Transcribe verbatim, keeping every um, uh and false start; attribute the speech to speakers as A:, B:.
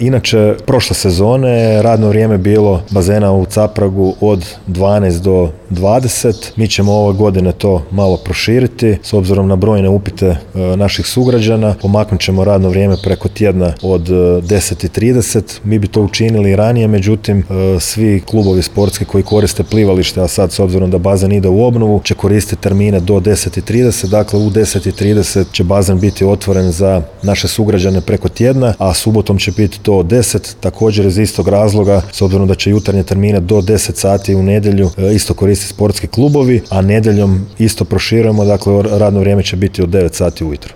A: Inače, prošle sezone radno vrijeme bilo bazena u Capragu od dvanaest do dvadeset. Mi ćemo ove godine to malo proširiti s obzirom na brojne upite e, naših sugrađana. Pomaknut ćemo radno vrijeme preko tjedna od e, deset i trideset. Mi bi to učinili i ranije, međutim e, svi klubovi sportski koji koriste plivalište, a sad s obzirom da bazen ide u obnovu, će koristiti termine do deset i trideset. Dakle, u deset i trideset će bazen biti otvoren za naše sugrađane preko tjedna, a subotom će biti do deset, također iz istog razloga, s obzirom da će jutarnje termine do deset sati u nedjelju e, isto koristiti sportski klubovi, a nedjeljom isto proširujemo, dakle radno vrijeme će biti od devet sati ujutro.